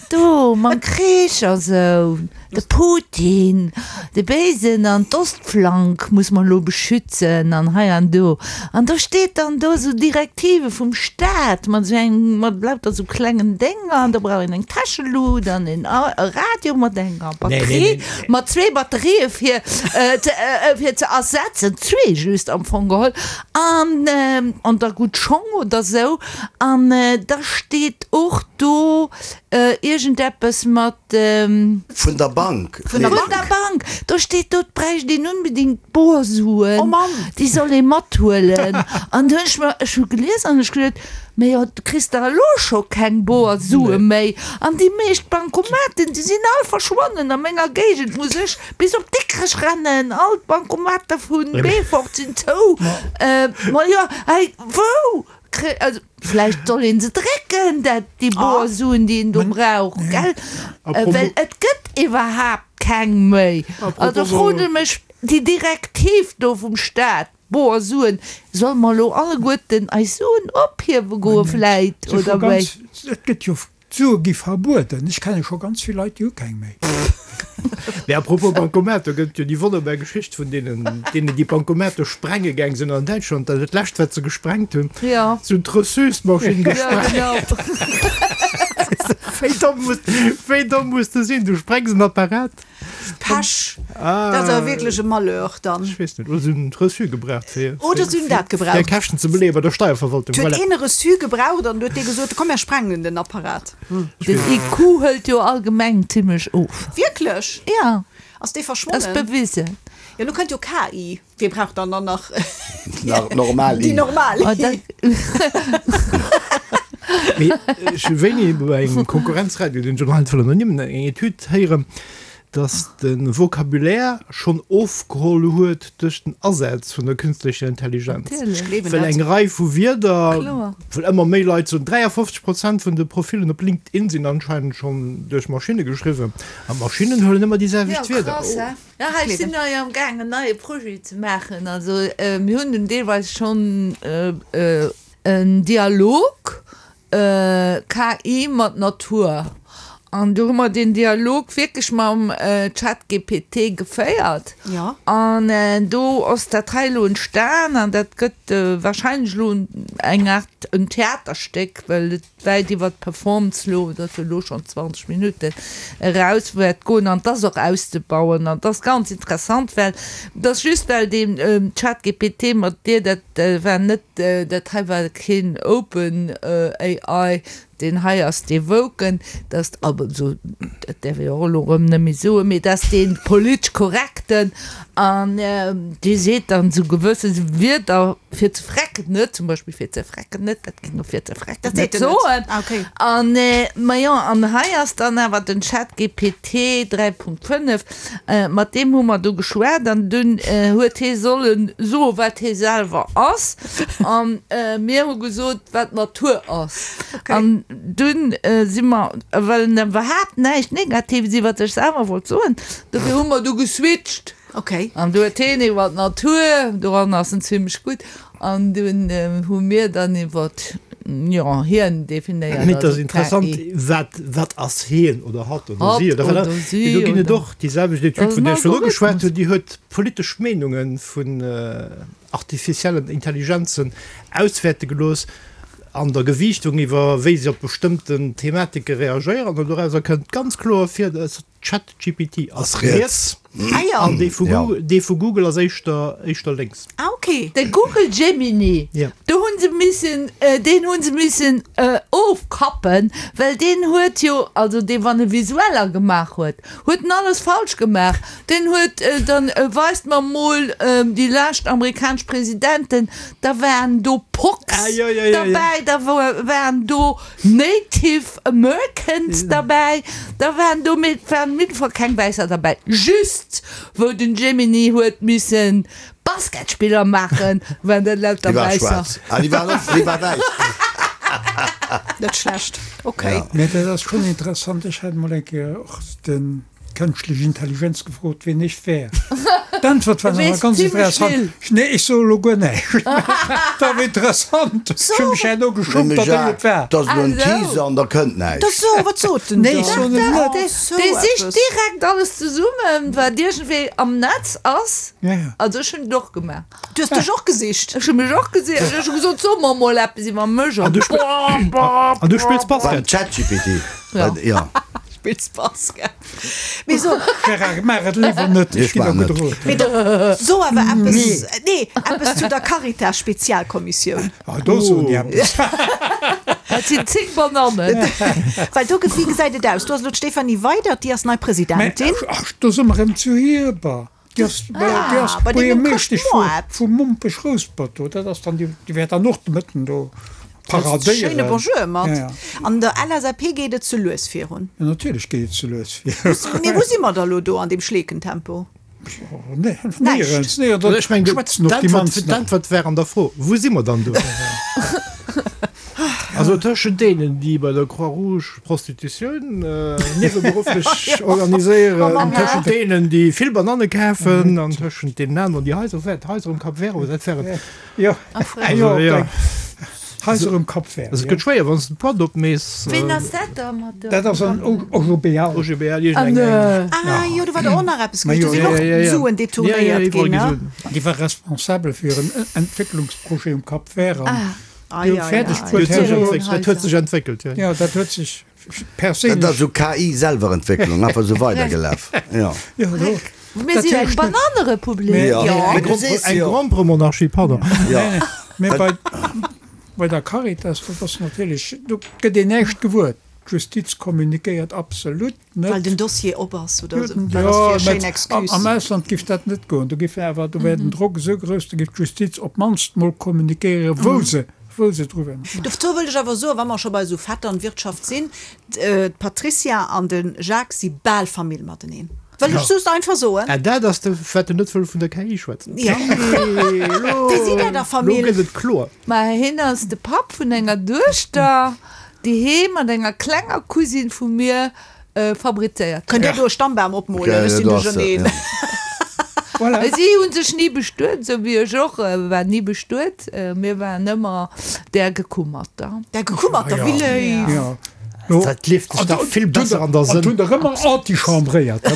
do mam Krich a sou. De Putin, de Béisen an d'Ostflank muss mer elo beschützen an hei an do. An do steet dann do esou Direktive vum Staat mat esou engem, mat lauter esou klengen Dénger an do brauch een eng Täschelut an een Radio mat enger Batterie, mat zwee Batterië fir fir ze ersetzen, zwee just am Fong geholl an an da gutt Schong oder esou. An da steet och do Iergendeppes mat. Vun der Bank. Vun der Bank. Do steet do, et bräicht een unbedingt Borsuen. Oh Mann! Déi soll ee mathuelen. An du hunn ech mer, ech hu gelies an ech geduet, Mä jo, du kriss der elo scho keng Borsue méi. An déi meescht Bancomaten, déi sinn all verschwonnen. A menger Géigend muss ech bis op Dikrech rennen. All d'Bancomater vu Beefort sinn zou. Ma jo, hei, wou? Kré, also vläicht soll een se drécken, dat, déi boer Suen, déi een do brauch, gell? Well et gëtt iwwerhaapt keng méi. Also froen ech mech, déi Direktiv do vum Staat, boer Suen, solle mer elo alleguerten eis Suen ophiewe goe vläit, oder wéi? Et gëtt jo D'Sue gi verbueden. Ech kenne scho ganz vill Leit, déi hu keng méi. Mee à propos Bancomat, do gëtt et jo déi wonnerbar Geschicht vun deenen, deenen déi Bancomate sprenge gaang sinn an Däitschland. Dat dat lescht, wat se gesprengt hunn, se hunn d'Reçusmaschinn gesprengt. Wéi domm muss, wéi domm muss de sinn? Du sprengs en Apparat. Pech! Dat ass awer wierklech e Malheur dann. Ech weess net, oder se hunn d'Reçu gebraucht fir, Oder se hunn dat gebraucht. fir Käschten ze beleeë bei der Steierverwaltung. Et huet een e Reçu gebraucht an du huet dee gesot, komm mär sprengen den Apparat. Den IQ hëlt jo allgemeng zimmlech of. Wierklech? Jo. Ass dee verschwonnen? Ass bewisen. Jo, lo kënnt jo KI. Wie brauch dann dann nach normal déi normal I? Mee ech hu wéini bei engem Konkurrenzradio, deen ech elo hei net wëll ernimmen, eng Etüd héieren, datt de Vocabulaire schonn ofgeholl huet duerch den Asaz vun der künstlecher Intelligenz. Ech gleewen Well dat. eng Rei vu Wierder, well ëmmer méi Leit soen, 53 Prozent vun de Profillen op LinkedIn sinn anscheinend schonn duerch Maschinne geschriwwen an d'Maschinnen huelen ëmmer déi selwecht Wierder. Jo, ech sinn hei am gaang en neie Projet ze maachen. Also mir hunn en deelweis schonn en Dialog KI mat Natur. An do hu mer deen Dialog wierklech mam ChatGPT geféiert. An do ass dat hei elo entstan an dat gëtt warscheinlech elo eng Aart en Theaterstéck, well et wäit iwwer d'Performance elo, dat ass jo elo schonn 20 Minutten, eraus wäert goen an 't ass och auszebauen an 't ass ganz interessant, well 't ass just well deen ChatGPT mat dir, dat war net, dat hei war keen Open AI, deen hei ass dee woken, dat ass also, dat däerf ee jo och elo erëm net méi soen, mee dat ass dee politesch korrekten an dee seet dann esou gewësse Wierder fir ze frecken net, zum Beispill fir ze frecken net, dat géing e fir ze frecken net soen. An, ma jo, an hei ass dann awer den ChatGPT 3.5, mat deem hu mer du geschwat an dunn huet hee solle soe wat hee selwer ass a mir hu gesot wat d'Natur ass. An dunn si mer, well en iwwerhaapt näischt Negatives iwwer sech selwer wollt soen, dofir hu mer du geswitcht. Okay. An du huet heen iwwer d'Natur, doran ass en zimlech gutt, an dunn hu mir dann iwwer, jo, hien definéiert. Mee et ass interessant, wat, wat ass hien oder hatt oder si oder wat? Mee do ginn et och déi selwecht Etüd, vun där ech virdru geschwat hunn, déi huet politesch Meenunge vun artificiellen Intelligenzen auswäerte gelooss an der Gewiichtung iwwer wéi se op bestëmmten Thematike reagéieren. An dorauser kënnt ganz kloer ervir, dass ChatGPT ass riets an dee vu Google, dee vu Google ass éischter, éischter lénks. Ah ok. De Google Gemini, do hu se missen, deen hu se missen ofkappen, well deen huet jo, also dee wann e Visueller gemaach huet, huet en alles falsch gemaach. Deen huet dann, weist mer mol déi lescht amerikanesch Presidenten, da waren do Pox derbäi, da waren do Native Americans derbäi, da waren do, mee et waren op jidde Fall keng Wäisser derbäi. Just wou den Gemini huet missen Basketspiller maachen, waren dat lauter Déi war Wäisser. schwaarz. Ah, déi war och, déi war wäiss. Net schlecht, okay. Mee dat ass schonn interessant. Ech hat mol eng Kéier och den. Kënschtlech Intelligenz gefrot, wien ech wär. D'Äntwert war awer ganz interessant. Nee, ech soe lo guer näischt. Dat war interessant. Ech hu mech herno geschummt, datt ech et war. Dat ass elo en Teaser an da kënnt näischt. Da so, wat sot en Nee, ech soen et net. Dee sicht direkt alles zesummen, wat iergendwéi am Netz ass. Also ech hunn et och gemaach. Du hues dech och gesicht? Ech hu mech och gesicht. Ech hu gesot, so mer mol eppes iwwer mech. An du spills Basket? Beim ChatGPT. Jo. Spills Basket. Mee so. Gérard, maach et léiwer net, ech ginn der gudde Rot. Mee so awer eppes, nee, eppes zu der Caritas-Spezialkommissioun. Ah, do soen déi eppes. Dat sinn 10 Banannen. Well do, wéi gesäit et aus? Do ass elo d'Stéphanie Weydert, déi ass nei Presidentin. Mä ach, do si mer erëm zu Hierber. Déi ass, déi ass Buergermeeschtesch vu, vu Mompech-Rouspert do. Dat ass dann déi, déi wäert dann och de Mëtten do paradéieren. Schéine Bonjour mat. Ja, ja. An der LSAP geet et ze lues virun. Ja, natierlech geet et ze lues virun. Mee wou si mer da lo do an deem Schleekentempo? Néierens, néierens. Ech mengen, Schwätzen och déi mannsten. D'Äntwert wär an der Fro, Wou si mer dann do? Also tëschent deenen, déi bei der Croix-Rouge Prostitutioun nieweberufflech organiséieren, tëschent deenen, déi vill Bananne kafen, an tëschent deenen aneren, déi Haiser, Haiser um Cap Vert, oder dat war et? Jo, jo, Haiser um Cap Vert. Also et gëtt schwéier, wann s de d'Boîte opmees. Ween ass dat da mat der? Dat ass an OGBL. OGBL, iergendeng eng. Ah jo, do war der och nach eppes gewiescht. Do sinn och Suen detournéiert ginn, ne? Déi war responsabel fir en Entwécklungsprojet um Cap Vert an déi hu fäerdeg bruet, Dat huet sech entwéckelt, jo. Jo, dat huet sech perséinlech. Dat ass esou KI-Selwerentwécklung, einfach esou weidergelaf, jo. Jo, do. Mir sinn eng Banannerepublik. Jo. Eng Gromperemonarchie, pardon. Jo. Mee bei, bei der Caritas, dat ass natierlech, do gëtt een näischt gewuer. D'Justiz kommunikéiert absolut net. Well den Dossier op ass, oder wat ass fir e schéin Excuse? Am Ausland giff dat net goen. Do giff awer, do wär den Drock esou grouss, do giff d'Justiz op d'mannst mol kommunikéieren, wou se, wou se dru wär. Dozou wëllt ech awer soen, wa mer scho bei esou Vetternwirtschaft sinn, D'Patricia an de Jacques si bal Famill mateneen. Wëll ech just einfach soen. Ah, dat ass de, wat en net wëll vun der KI schwätzen. Jo. Wéi si dat a Famill? Elo gëtt et kloer. Ma hien ass de Papp vun enger Duechter, déi hee mat enger klenger Cousine vu mir fabrizéiert Kënnt Dir do e Stammbam opmolen? Ech sinn duercherneen. Voilà. Si hu sech ni bestuet, esou wéi ech och war ni bestuet. Mir waren ëmmer där Gekummerter. Där Gekummerter, wéi léif! Ja. Dat lieft sech dach vill besser an der Sënn. An hunn der ëmmer antichambréiert.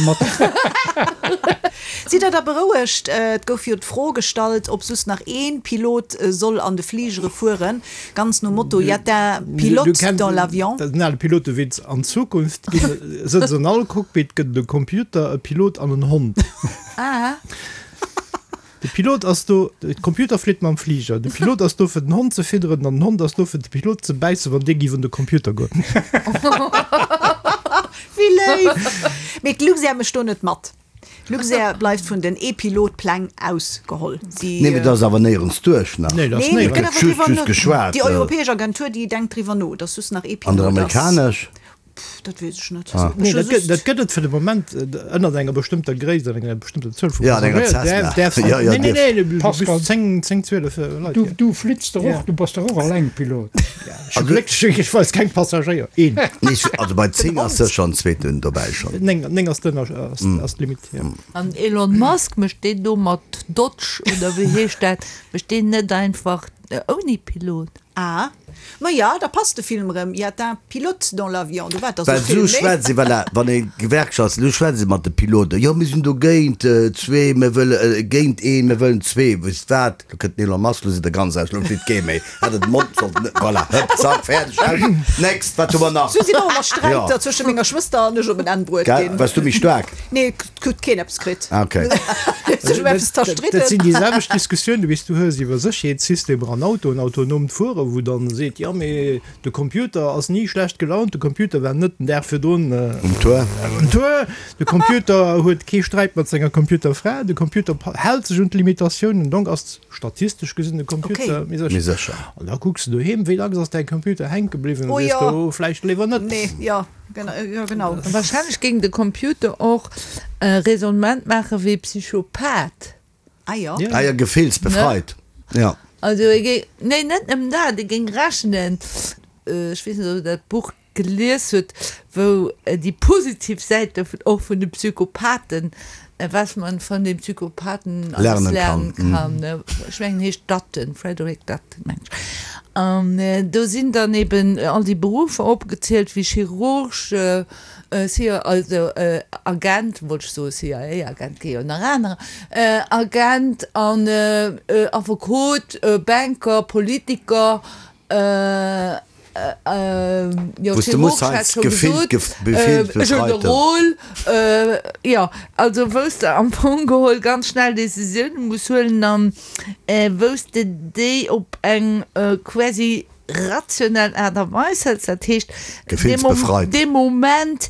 Sidd der da berouegt? Et gouf jo d'Fro gestallt, ob soss nach ee Pilot soll an de Fligere fueren, ganz nom Motto, Y a un pilote dans l'avion. Dat ass en ale Pilotewitz. An Zukunft sëtzt an all Cockpit gëtt et e Computer, e Pilot an en Hond. De Pilot ass do, de Computer flitt mam Fliger, de Pilot ass do fir den Hond ze fidderen an den Hond ass do fir de Pilot ze bäissen, wann dee giff un de Computer goen. Wéi léif! Mee d'Luxair mécht do net mat. D'Luxair bleift vun den E-Pilot-Pläng ausgeholl. Si. Nee, mee dat ass awer néierens duerch nach. Nee, dat ass Nee, mee et néierens. gëtt awer Just, driwwer just no. geschwat. Déi europäesch Agentur, déi denkt driwwer no, datt just nach An der E-Pilot ass. amerikanesch? Pff, dat weess ech net. Ah. Nee, Ech hu dat gëtt, just. dat gëtt et fir de Moment ënnert enger bestëmmter Gréisst an enger bestëmmter Zuel vu Ja, an enger Passagéier. Cessna. Däerf, däerfs Ja, ja, nee, nee, dierf. nee, du bist Pascal. 10, 10, 12 Leit. Du, ja. du flitts der Ja. och, du bass der och Allengpilot. Ech hu glécklech, ech weis keng Passagéier. Een. Nee, ech, also bei 10 ass sécher en zweeten dobäi schonn. 9, 9 ass den, ass, ass d'Limite, ja. An Elon Musk mécht deen do mat Dodge oder wéi heescht dat, mécht deen net einfach ouni Pilot? Ah, ma ja, da passt de Film erëm, Y a un pilote dans l'avion, do war et da sou Well Film, sou nee? schwätzt ee, voilà, wann ee Gewerkschafts, elo schwätzt ee mat de Piloten, jo mir sinn dogéint zwee, mir wëlle géint een, mir wëllen zwee, wësst wat, lo kënnt den Elon Musk, lo sidd der ganz aus, lo flitt kee méi, hätt et de Mond sollten, voilà, hëpp, zack, fäerdeg, aus, next, wat hu mer nach? Sou sinn och ëmmer Sträiter Jo. zwësche menger Schwëster an ech op en Enn bruet Gell, ginn. waars du méi staark? Nee, et huet keen eppes kritt. Ah, okay. Huet sech ëm eppes zerstridden. Dat sinn déi selwecht Diskussiounen, wéi s du hues iwwer Sécherheetssystemer an Autoen, autonoomt Fueren, wou dann seet, jo mee de Computer ass ni schlecht gelaunt, de Computer war net den Dag virdrun Um Tour. um Tour, de Computer huet kee Sträit mat senger Computerfra, de Computer hält sech un d'Limitatiounen, donc ass statistesch gesinn de Computer méi Méi sécher. An da kucks de doheem, wéi dacks ass däi Computer hänke bliwwen, Oh an sees jo. du, vläicht léiwer net. Nee, jo. Jo, genau. Wahrscheinlech géing de Computer och e Raisonnement maache wéi e Psychopath. Ah jo. Ah jo, gefillsbefreit, jo. Also e géing, nee net nëmmen dat, e géing rechnen, ech weess net ob der dat Buch gelies hutt, wou déi positiv Säite och vun de Psychopathen, was man von den Psychopathen alles Lernen lernen kann, ech mengen heescht Dutton, Frederick Dutton mengen ech. An do sinn dann eben all déi Beruffer opgezielt wéi Chirurg, CIA, also Agent, wollt ech soen, CIA-Agent gi jo nach anerer, Agent an Affekot, Banker, Politiker, jo, Wou s de muss Chirurg hat heiansdo scho gefillt, gesot, gefillsbefreiten. Generol, jo, also wou s de am Fong geholl ganz schnell Décisioune muss huelen an wou s de déi op eng quasi rationell Aart a Weis hëls. Dat heescht, Gefillsbefreit. dee Moment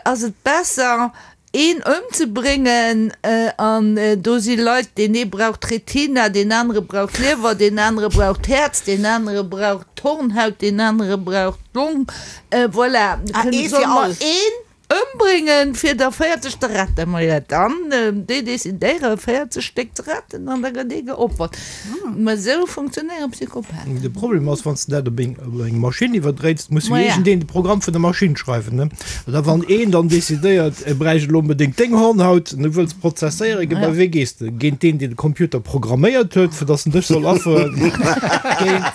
ass et besser, een ëmzebréngen an do si Leit, deen ee brauch d'Retina, deen anere brauch d'Liewer, deen anere brauch d'Häerz, deen anere brauch d'Hornhaut, deen anere brauch d'Long. Voilà, Ah, ee solle fir mer all. een. Ëmbréngen, fir der 40 ze retten. Maja, dann, déi decidéiere 40 Stéck ze retten an da gëtt ee geopfert. Mä esou funktionéiere Psychopathen. De Problem ass, wann s de dat op eng Maschinn iwwerdréits, muss jo iergendeen de Programm vun der Maschinn schreiwen, ne? An da wann een dann decidéiert, e bräicht elo onbedéngt deng Hornhaut an du wëlls prozesséieren, ge bei wee gees de? Géint deen, deen de Computer programméiert huet, fir datt en dech soll afferen? Géint,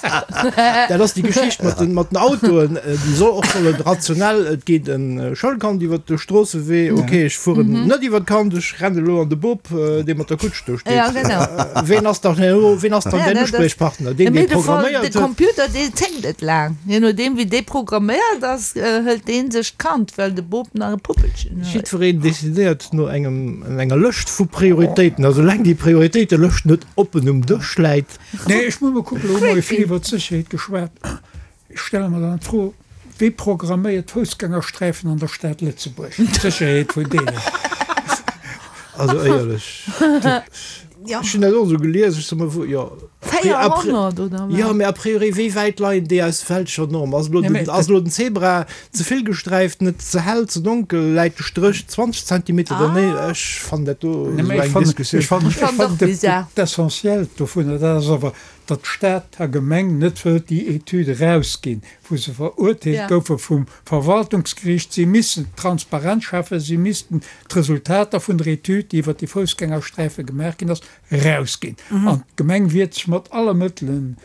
dat ass déi Geschicht mat den, mat den Autoen, déi soll och sollen rationell, et geet e Schoulkand iwwert de Stroossewee, ok, ech fueren net iwwert d'Kand, ech rennen elo an de Bop, dee mat der Kutsch do steet. Ja, genau. Ween ass dann herno, ween ass dann däin Uspriechpartner? Deen, dee programméiert huet? De Computer, dee zéckt net laang. Je nodeem, wéi dee programméiert ass, hëlt dee sech d'Kand, well de Bop nach e Puppelchen huet. Jiddwereen decidéiert no engem, enger Lëscht vu Prioritéiten. A soulaang déi Prioritéitelëscht net oppen um Dësch läit. Nee, ech muss mol kucken, elo hu mer jo vill iwwert d'Sécherheet geschwat. Ech stelle mer dann d'Fro, Wie programméiert d'Foussgängersträifen an der Stad Lëtzebuerg? D'Sécherheet vun deenen. Also éierlech, ech hunn dat och esou gelies, ech soe mer, wou, jo. 400 oder wat? Jo, mee a priori, wéi wäit leien déi aus welcher Norm? Ass elo den, ass elo den Zebra ze vill gesträift, net ze hell, ze donkel, läit de Stréch 20 Zentimeter dernee? Ech fannen dat do esou eng Diskussioun. Ech fannen d'Essentiellt dovunner, dat ass awer, datt Stad a Gemeng net wëllt déi Etüd erausginn, wou se verurteelt goufe vum Verwaltungsgeriicht. Si missten Transparenz schafen, si missten d'Resultater vun der Etüd, déi iwwert déi Foussgängersträife gemaach ginn ass, erausginn. An d'Gemeng wiert sech mat alle Mëttelen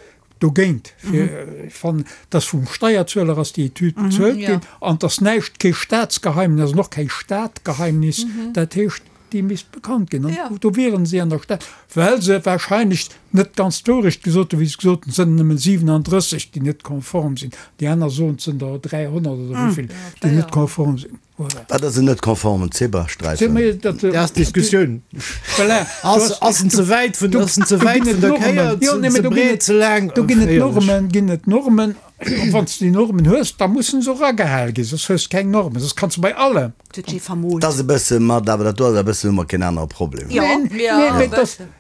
dogéint. Fir, ech fannen, datt vum Steierzueler ass déi Etüd bezuelt ginn an et ass näischt, kee Staatsgeheimnis an och keng Stadgeheimnis. Dat heescht, Déi misst bekannt ginn. An do wieren si an der Stad, well se wahrscheinlech net ganz d'Wourecht gesot hunn, wéi se gesot hunn, et sënn nëmmen 37, déi net konform sinn. Déi aner soen, et sënn der 300 oder wéi vill, déi net konform sinn. Voilà. Wat ass en net konformen Zebrasträifen? Dat ass d'Diskussioun. Voilà. Ass en ze wäit vun, ass en ze wäit vun der Kéier, ze breet, ze laang? Do ginn et Normen, ginn et Normen. Wann s de déi Normen hues, da mussen se och agehal ginn, soss hues de keng Normen. Soss kanns de bei allem. Huet jee vermoolt. 't ass e bësse mat, awer dat do ass e bëssen, hu mer keen anere Problem. Jo, jo, e bëssen.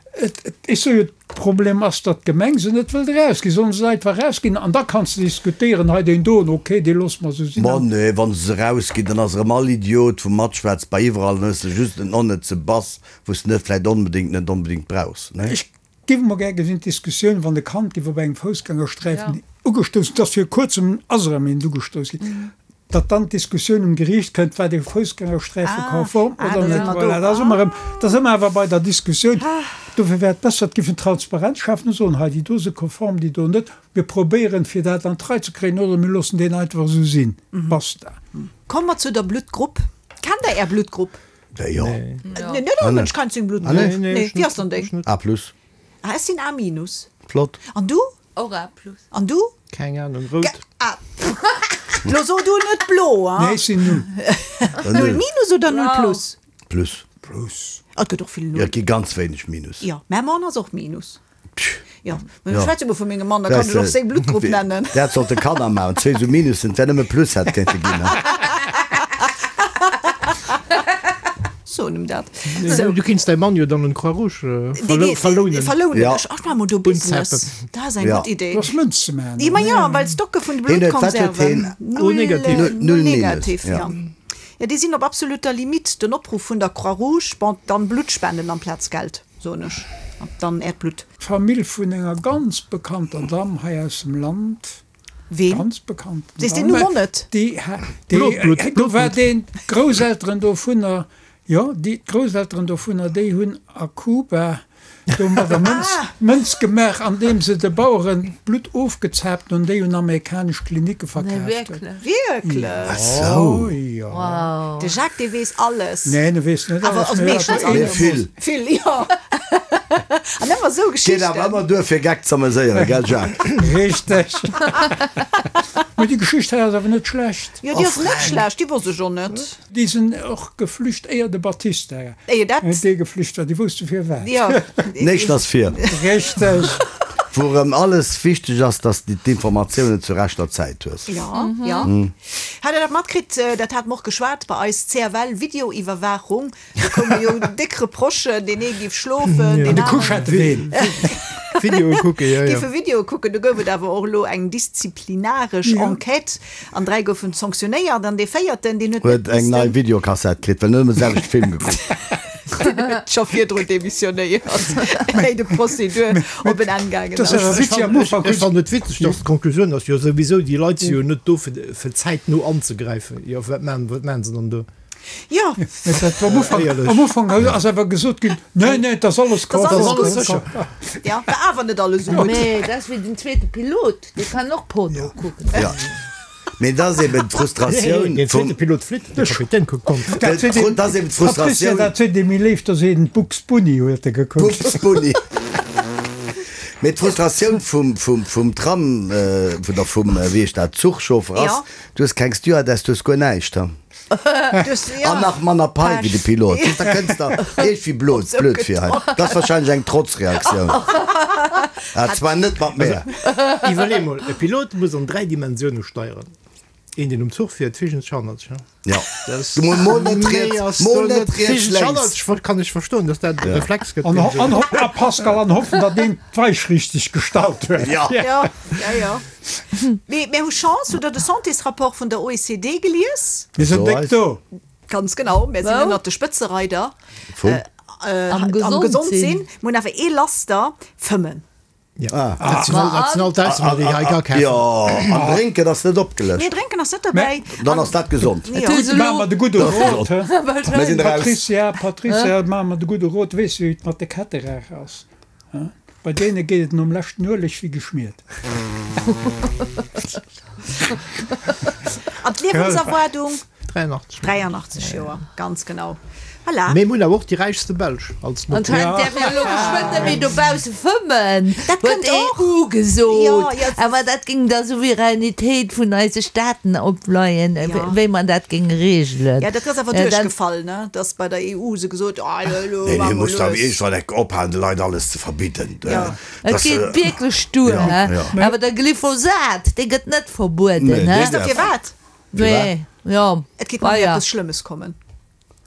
Ech soe jo, de Problem ass, datt d'Gemeng se net wëllt erausginn. Sollen se se einfach erausginn an da kanns de diskutéieren, hei deen doen, ok, dee loosse mer esou sinn. Ma nee, wa se se erausginn, dann ass erëm all Idiot wou matschwätzt bei iwwerall, dann hues de just en onnëtze Bass, wou s de net vläicht onbedéngt net onbedéngt brauchs, ne? Ech Giff mol gär gesinn d'Diskussioun wann e Kand giff op engem Foussgängersträifen ugestouss, et ass vir kuerzem ass erëm eent ugestouss ginn, datt dann d'Diskussioun um Geriicht kënnt, war dee Foussgängersträife konform oder net. Voilà, da si mer erëm, da si mer awer bei der Diskussioun. Dofir wär et besser, et giff en Transparenz schafen a soen, hei déi do si konform, déi do net. Mir probéieren fir dat an d'Rei ze kréien oder mir loossen deen einfach esou sinn. Basta. Komme mer zu der Bluttgrupp. Kennt der Är Bluttgrupp? Jo. Nee, net all Mënsch kennt seng Bluttgrupp. Ah, nee? Nee, wéi ass dann deng? A plus. Ah, ech sinn A minus. Flott. An du? Och A plus. An du? Keng Ahnung, rout. Ah, lo so du net blo, hein? Nee, ech sinn null. Null minus oder null plus? Plus. Plus. Ah, et gëtt och vill Jo, Null. et gi ganz wéineg Minus. Jo, mä Mann ass och Minus. Jo, mä Jo. ech schwätze mol vu mengem Mann, da kann ech och seng Bluttgrupp nennen. Dat sollte Kanner maachen, zwee sou Minussen, et wär nëmme Plus hätt kéinte ginn. Soen em dat. Sou. Du kinns däi Mann jo dann un d'Croix Rouge verlounen. Verlounen. Ja. Ech ach maache mol do Business. Dat ass eng Ja. gutt Idee. Du ass Mënz ze maachen. Ma jo, well d'Stocke vun de Hien huet, wat huet Bluttkonserven. hien? Null negativ. Null Null minus, negativ, ja. jo. Jo, déi sinn op absoluter Limite. Den Opruff vun der Croix Rouge, bon, dann Blutt spenden amplaz Geld. Soen ech, an dann äert Blutt. D'Famill vun enger ganz bekannter Damm hei aus dem Land, Ween? ganz bekannten Sees deen Numm och net? Déi, déi, do war deen, d'Grousselteren dovunner, jo, déi, d'Grousselteren dovunner, déi hunn a Kuba domadder Mënz, Mënz gemaach, andeem se de Baueren d'Blutt ofgezaapt hunn, déi un amerikanesch Klinicke verkaaft hunn. Wierklech? Ach sou. Jo. De Jacques, dee weess alles. Neen, e weess net Awer alles, also mee meeschtens awer alles. Mee vill. Vill, jo. An ëmmer esou Geet Geschichten. awer ëmmer duer fir Geck z'ameséieren, gell Jacques? Richteg. Mee déi Geschicht hei ass awer net schlecht. Jo, déi ass net schlecht, déi wosst ech och net. Déi sinn och geflücht éier de Batista Éier dat. dee geflücht war. Déi wousste firwat. Jo. Néischt ass vir. Richteg. Wou erëm alles wichteg ass, dass de d'Informatiounen zur rechter Zäit hues. Jo, jo. Hat Der dat matkritt? Dat hate mer och geschwat bei eis, CFL Videoiwwerwaachung. Do koume jo déck Reprochen, deen ee géif schlofen, deen An de aneren. Couchetteween. Videoe kucken, jo, jo. Géife Videoe kucken. Do gouf et awer och elo eng disziplinaresch Enquête an 3 goufen sanctionéiert an dee véierten, deen huet net Huet eng nei Videokassett kritt, well en huet ëmmer de selwechte Film gekuckt. Deen huet scho virdrun demissionéiert, éi de Prozedur op en Enn gaangen ass. Ech fannen et witzeg, dass d'Konklusioun ass, jo souwisou, déi Leit si jo net do fir fir zäitno anzegräifen. Jo wat maan wat maan se dann do? Jo. Am Ufank, am Ufank ass awer gesot ginn, nee, nee, et ass alles konform. Ja, war awer net alles esou gutt. Nee, dat ass wéi den zweete Pilot, dee kann och Porno kucken. Ja. Mee dat ass eben d'Frustratioun Den zweete Pilot flitt, de Kapitän kuckt Porno. Dat ass eben d'Frustratioun. Dat seet ee méi léif, da seet en Bugs Bunny huet e gekuckt. Bugs Bunny. Mee d'Frustratioun vum, vum, vum Tram, oder vum, wéi heescht dat, Zuchchauffer ass, du hues keng Stewardess, du hues guer näischt. An nach manner Pai wéi de Pilot. Da kënns der iergendwéi blöd, blöd vir hei. Dat ass wahrscheinlech eng Trotzreaktioun. Ah, zwar net mat mär. Iwwerlee mol, e Pilot muss an 3 Dimensioune steieren. Een, deen um Zuch fiert, virgens hannertsch. Jo. Mol, mol net riets, mol net riets, lénks. Kann ech verstoen, dass dat e Reflex gëtt. An, an, a Pascal, an hoffen, datt deen d'Weich richteg gestallt huet. Jo. Jo, jo, jo. Mee mir hu Chance, hutt Der de Santésrapport vun der OECD gelies? Mir sinn déck do. Ganz genau, mir sinn ënnert de Spëtzereider am Gesondsinn. Mir hunn awer ee Laster, Fëmmen. Dat sinn all d'Ausnamen, déi hei ga kafen. Jo, an Drénken ass net opgelëscht. Nee, Drénken ass net derbäi. Dann ass dat gesond. Gutt, maache mer de gudde Rot. Mir sinn eraus. Patricia, Patricia, maache mer de gudde Rot. Weess de, wéi et mat de Ketterer ass? Bei deene geet et nom leschten Ueleg wéi geschmiert. An d'Liewenserwaardung? 83. 83 Joer, ganz genau. Voilà. Mee mir hunn awer och déi räichste Belsch als Notioun. Anscheinend däerf een elo geschwënn net méi dobausse fëmmen, Dat huet kënnt och. d'EU gesot. Jo, jo. Awer dat géing der Souveränitéit vun eise Staaten opleien, Jo. wéi mer dat géinge reegelen. Ja, dat ass awer duerchgefall, ne? Dass bei der EU se gesot, ah, elo Nee, maache nee, mer muss awer lues. iergendwann enk ophalen, de Leit alles ze verbidden. Jo. Et Dass, geet wierklech duer, Ja, he? ja. Awer de Glyphosat, dee gëtt net verbueden, Nee, he? deen Weess der däerf. firwat? Nee, jo, Et geet nemmi ah ja. eppes Schlëmmes kommen.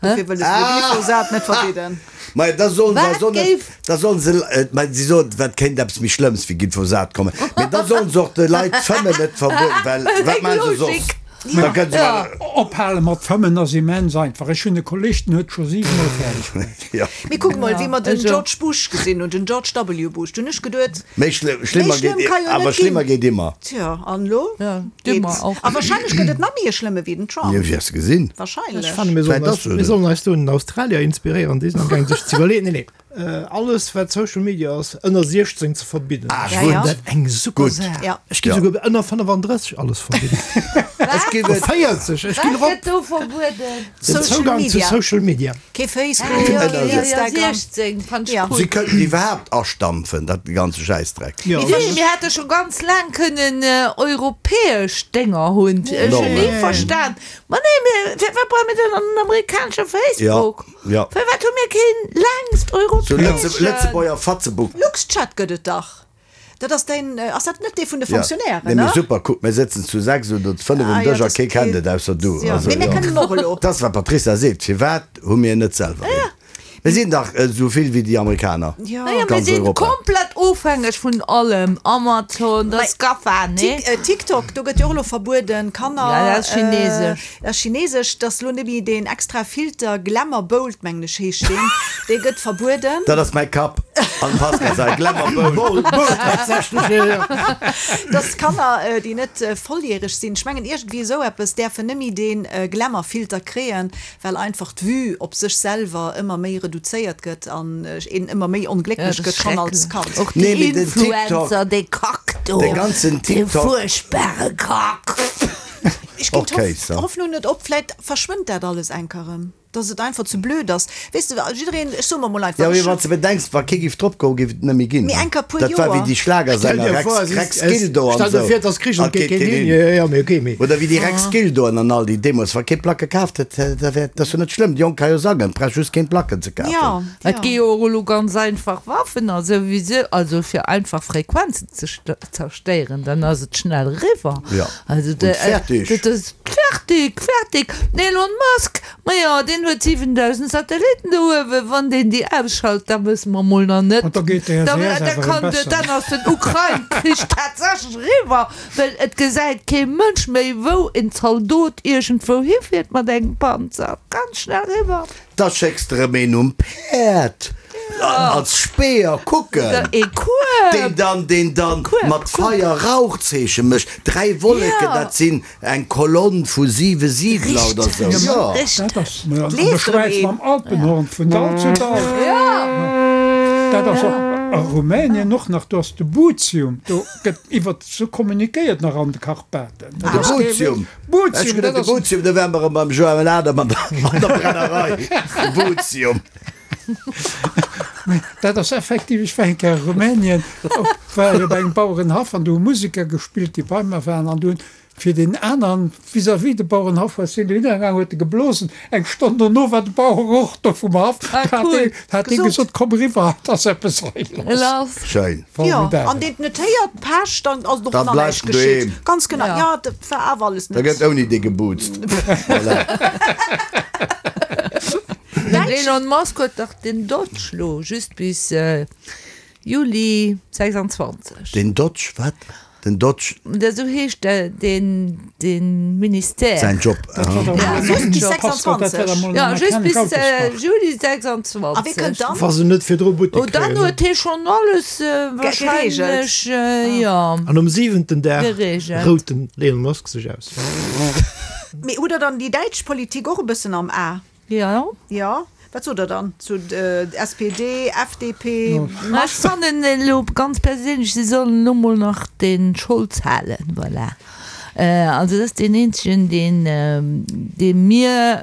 Dofir wëlle se de Glyphosat net verbidden. Majo, da sollen se Wat eis och net, géif. da sollen se, mä si soen, wat kéint eppes méi Schlëmmes wéi Glyphosat kommen? Mee da sollen se och de Leit d'Fëmmen net verbueden, well wat Eng maache se soss? Logik. Da kënnen se Ja. mal. Ophale mat fëmmen ass immens einfach. Ech hunn e Kolleg, den huet scho siwemol fäerdeg bruecht. Jo. Mee kuck mol, wéi mer den Also. George Bush gesinn hunn, den George W. Bush, du hunn ech geduet, Méi schlëmm, méi schlimmer schlëmm geet, ka jo awer net schlimmer ginn. geet immer. Tja, an elo Ja, di mer geet. och. A wahrscheinlech gëtt et nach méi e schlëmme wéi den Trump. Jo, wäers de gesinn. Ech Wahrscheinlech. fanne mir sollen Vläit eis, ass se mir sollen eis do un den Australier inspiréieren, déi sinn am gaang sech ze iwwerleeën, nee, nee, alles wat Social Media ass ënner 16 ze verbidden. Ah, Ech fannen gutt. dat eng super Gutt. Saach. Ja. Ech géif Ja. souguer ënner 35 alles verbidden. Ech géif Oder et. 40, ech ginn Wat erop. gëtt do verbueden? Den Social Zougang zu Media. Social Media. Kee Facebook, Ah, jo, keen jo, jo, Instagram. 16 fand ech Ja. cool. Si könnten iwwerhaapt astampfen, dat ganze Schäissdreck. Jo. Nee, mir hätte scho ganz laang kënnen europäesch Dénger hunn. Ech hunn ni verstan. Ma nee, mir, firwat brauche mir dann en amerikanesche Facebook? Ja, ja. Firwat hu mir keen längst Sou Lëtze, europäeschen? Lëtzebuerger Fatzebook. Luxchat gëtt et dach. Dat ass däin, ass dat net dee vun de Ja, Fonctionnairen, nee, mee ne? super, kuck, mir sëtzen zu 6 oder zu 5 um Ah, jo, Dësch a dat kee kennt geet. et ausser du. Jo, Also, mee mir jo. kënnen och elo. Dat ass, wat d'Patricia seet, Firwat hu mir net selwer een? Mir sinn dach esou vill wéi déi Amerikaner, Jo. Naja, mir ganz sinn Europa. komplett ofhängeg vun allem, Amazon, dat ass GAFA, nee? Tik, TikTok, do gëtt jo och elo verbueden, Kanner. Ja, dat ass chinesesch. Dat ass chinesesch, dass elo net méi deen extra Filter, Glamour Bold mengen ech heescht deen, dee gëtt verbueden. Dat ass mäi Kapp an Pascal säi Glamour Bold. Bold, tatsächlech, jo, jo. Dass Kanner, déi net volljäreg sinn, ech mengen iergendwéi esou eppes, däerfen net méi dee Glamour Filter kréien, well einfach d'Vue op sech selwer ëmmer méi reduzéiert gëtt an een ëmmer méi Ja, onglécklech dat gëtt ass schonn als schrecklech. Kand. Och Nee, déi mee den TikTok, Influencer, dee Kack do, de ganzen dee TikTok. fuerchtbare Kack. Ech ginn Och Kéis, ja. d'Hoffnung net op, vläit verschwënnt dat alles enker erëm, dass et einfach ze blöd ass. Weess de, jiddereen, ech soe mer mol einfach, Ja, mee ech wann s de bedenks, wa kee giff drop goen, giff et net méi ginn. Mee enker puer Dat war wéi Joer. déi Stell Schlagersänger dir Rex, vor, es Rex ist, es, Gildo an stell dir esou. vir, et ass Krich an An et geet geet keen keen hin. hin. Jo, jo, mee okay, mee. Oder wéi déi Rex Gildoen an all déi deemools, wa kee Placke kaaft huet, da wär, dat ass jo net schlëmm, déi Jonk ka jo sangen, brauch just keen Placken ze kafen. Ja, Et gi ja. jo och elo ganz einfach Waffen a souwisou, also fir einfach Frequenzen ze zerstéieren, dann ass et schnell eriwwer. Ja, Also und fertig. dat ass fertig, fertig. Den Elon Musk, majo, deen. Deen huet 7.000 Satellitten do uewen. Wann deen déi ausschalt, da wësse mer mol nach net. An da geet de Da, SES da awer erëm kann de, besser. dann ass den Ukrain-Krich tatsächlech eriwwer, well et gesäit kee Mënsch méi, wou en Zaldot iergendwou hifiert mat engem Panzer. Ganz schnell eriwwer. Da schécks de rëm een um Päerd als Speer kucken, deen dann, deen dann mat Feier Rauchzeeche mécht. Dräi Wolleken, dat sinn eng Kolonn vu siwe Siidler oder sou. Jo. Dat ass an der Schwäiz mam Alpenhorn vun Dall zu Dall. Dat ass och a Rumänien och nach, do ass de Buzium, do gëtt iwwert sou kommunikéiert nach an de Karpaten. De Buzium. Ech geduet de Buzium, do wäre mer erëm beim Joël Adam an der Brennerei. De Buzium. Mee dat ass effektiv, ech war eng Kéier a Rumänien, op, war ech op engem Bauerenhaff an do hu Museker gespillt, déi bei mer waren an do hunn fir deen aneren vis-à-vis de Bauerenhaff war, sinn dohinner gaangen, huet e geblosen. Eng Stonn dono war de Bauer och do vum Haff, Ah, hat cool. dee, hat dee Gesot. gesot, komm eriwwer, et ass eppes hei lass. Lass. Schéin. Jo, Formidabel. an deen et net héiert, Pech, dann ass et och Dann nach bleift näischt en doheem. geschitt. Ganz genau, Ja. jo, dat war awer alles Da net. gëtt ouni dee geboozt. Voilà. Den Elon Musk huet dach den Dodge lo just bis Juli 26. Den Dodge, wat? Den Dodge? Esou heescht deen Ministère. Säin Job. Ah, just bis 26. Jo, just bis Juli 26. A wee kënnt dann? Wa se net virdru Buttek Oh, dann kréien. huet hie schonn alles wahrscheinlech, jo. An um siwenten Dag Geregelt. rout den Elon Musk sech aus. Mee hutt Der dann déi däitsch Politik och e bëssen am A? Jo. Jo, wat sot der dann zu SPD, FDP, Ma ech fannen elo ganz perséinlech, si sollen elo mol nach de Scholz halen, voilà. Also dat ass deen eenzegen, deen, deem mir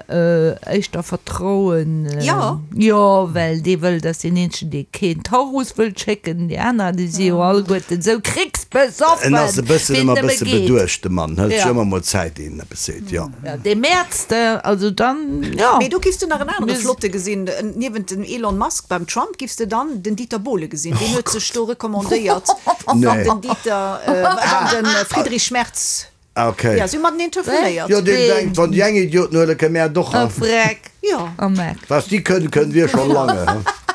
éischter vertrauen. Jo. Jo, well dee wëll, dat ass deen eenzegen, dee keen Taurus wëllt schécken. Déi aner, déi si jo alleguerten esou kricksbesoffen, En ass e bëssen wéi et ëmmer e nëmme bësse geet. beduecht, de Mann. Hëlt sech Jo. ëmmer mol Zäit, ier en eppes seet, jo. Ja, dee Mäerz, also dann, jo. Mee do giffs de nach en anere flotte gesinn, niewent dem Elon Musk beim Trump giffs de dann den Dieter Bohlen gesinn, deen huet sech do recommandéiert, wann den Dieter, wann de Friedrich Merz, Okay. jo, si hu mateneen telefonéiert. Jo, deen denkt, wann déi eng Idioten huelen, kënne mär et och. A Freck. Jo. A Meck. Was déi kënnen, kënnen wir schon lange.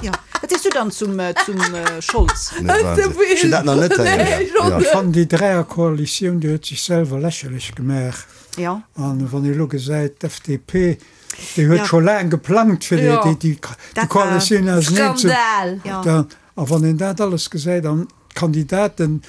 Jo. Wat sees du dann zum, zum Scholz? Ech hunn dat nach net héieren. Ech fannen déi Dräierkoalitioun, déi huet sech selwer lächerlech gemaach. Jo. An wann ee elo gesäit, d'FDP, déi huet Ja. scho laang geplangt, fir déi, Ja. déi, déi Dat war Koalitioun auseneen ze. Skandal! Ja. Da, a wann een dat alles gesäit an d'Kandidaten,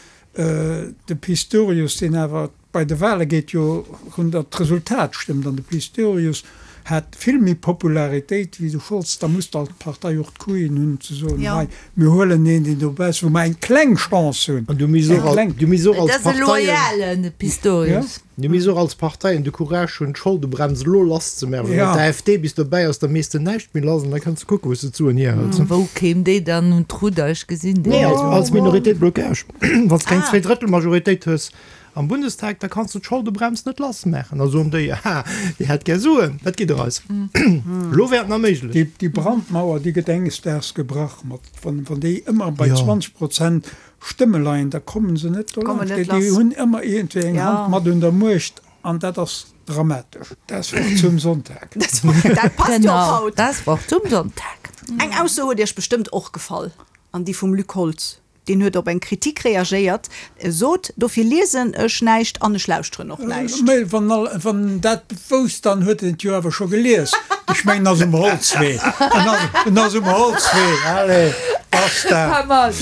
de Pistorius, deen awer bei de Wahle geet jo run, datt d'Resultat stëmmt, an de Pistorius hat vill méi Popularitéit wéi de Scholz, da muss d'Partei och d'Couillen hunn ze soen, Ja. hei, mir huelen een, deen dobäi ass, wou mer eng kleng Chance hunn, An du misst eng och, kleng. du misst och Et als ass e Parteien. loyalen, de Pistorius. Mir misst och als Parteien de Courage hunn, d'Scholdebremse elo lass ze maachen. Ja. Wann d'AfD bis dobäi ass, da mees de näischt méi lass an da kënns de kucken, wou s de d'Suen hierhëls. Wou kéim déi dann un d'Rudder? Ech gesinn déi Nee, net. als, als Minoritéit Blocage. Wann s de keng Zweedrëttelmajoritéit hues am Bundestag, da kanns de d'Scholdebremse net lass maachen. Da soen déi, Aha, Dir hätt gär Suen, dat gitt der eis. Elo wär et nach méiglech. Déi, déi Brandmauer, déi gëtt enges Daags gebrach mat, wann, wann déi ëmmer bei 20 Prozent Stëmme leien, da kommen se net Kommen dolaanscht. net Déi lass. hunn ëmmer iergendwéi eng Ja. Hand mat un der Muecht an dat ass dramatesch. Das Wort zum Sonntag. Dat passt jo och Genau, haut. das Wort zum Sonntag. Eng Ausso huet Iech bestëmmt och gefall, an déi vum Luc Holtz. Deen huet op eng Kritik reagéiert, e sot, Dofir liesen ech näischt an ech lauschteren och näischt. Mä wann all, wann en dat wousst, dann huet en et jo awer scho gelies. Ech mengen, en ass um Holzwee. En ass, en ass um Holzwee. Allez, basta. Pas mal.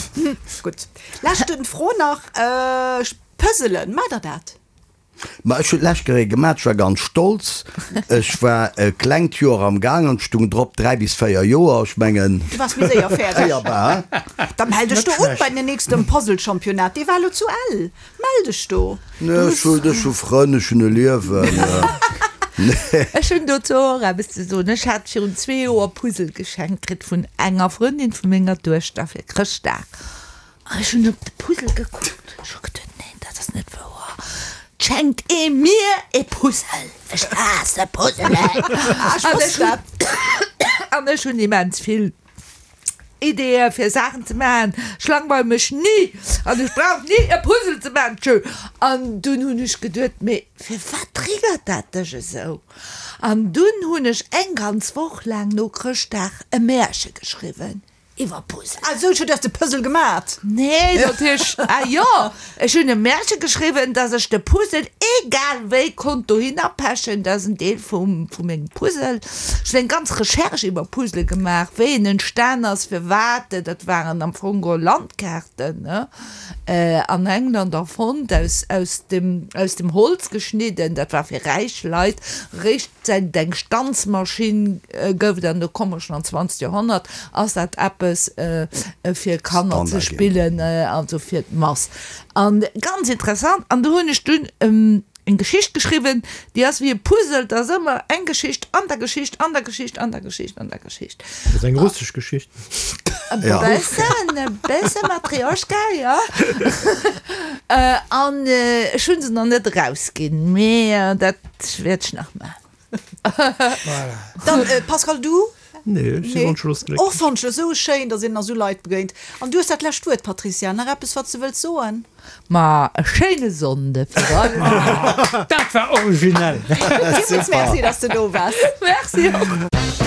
Gutt, leschten Fro nach, Puzzelen, maacht der dat? Ma ech hunn d'lescht Kéier ee gemaat, ech war ganz stolz. Ech war e klengt Joer am Gaang an et stung drop 3 bis 4 Joer. Ech mengen, Du waars méi séier fäerdeg. éierbar. Da mell dech do un bei den nächsten Puzzle-Championnat, dee war elo zu Ell. Mell dech do. Nee, ech hunn, ech hu Frënn, ech hunn e Liewen. Nee. Ech hunn dozou och eppes ze soen. Ech hat virun zwee Joer Puzzle geschenkt kritt vun enger Frëndin vu menger Duechter fir Chrëschtdag. An ech hunn op de Puzzle gekuckt, ech hu geduet, neen, dat ass net wouer, 't schenkt ee mir ee Puzzle, ech haasse Puzzelen. Ah, ech wosst dat. An ech hunn immens vill. Ideeë fir Saachen ze maachen. Ech langweile mech ni an ech brauch ni e Puzzle ze maachen. Tschö. An dunn hunn ech geduet, mee firwat triggert dat dech esou? An dunn hunn ech eng ganz Woch laang no Chrëschtdag e Märche geschriwwen iwwer Puzzle. Ah sou, du hues de Puzzle gemat? Nee, natierlech, ah jo, ech hunn e Märche geschriwwen, dass ech de Puzzle egal wéi konnt dohinner pechen, dat ass en Deel vum, vu mengem Puzzle. Ech hunn eng ganz Recherche iwwer Puzzle gemaach, wéi en entstan ass, firwat, dat waren am Fong geholl Landkaarten, ne, an England erfonnt, aus, aus dem, aus dem Holz geschnidden, dat war fir räich Leit, eréischt Säit et eng Stanzmaschinn gouf, an do komme mer schonn an d'zwanzegt Joerhonnert, ass dat eppes fir Kanner ze spillen, also fir d'Mass. An ganz interessant, an do hunn ech dunn eng Geschicht geschriwwen, déi ass wéi e Puzzle, et ass ëmmer eng Geschicht an der Geschicht an der Geschicht an der Geschicht an der Geschicht. Dat ass eng russesch Geschicht. E bëssen, e bësse Matrioschka, jo. An ech hu se nach net erausginn, mee dat wäert ech nach maachen. Voilà. Dann, Pascal, du? Nee, ech si wonschlos glécklech. Och wonschlos, esou schéin, datt een nach esou Leit begéint. An du hues dat lescht Wuert, Patricia. Nach eppes, wat s de wëlls soen? Ma e schéine Sonnde fir all. Dat war originell! Villmools Merci, datt s de do waars. Merci och.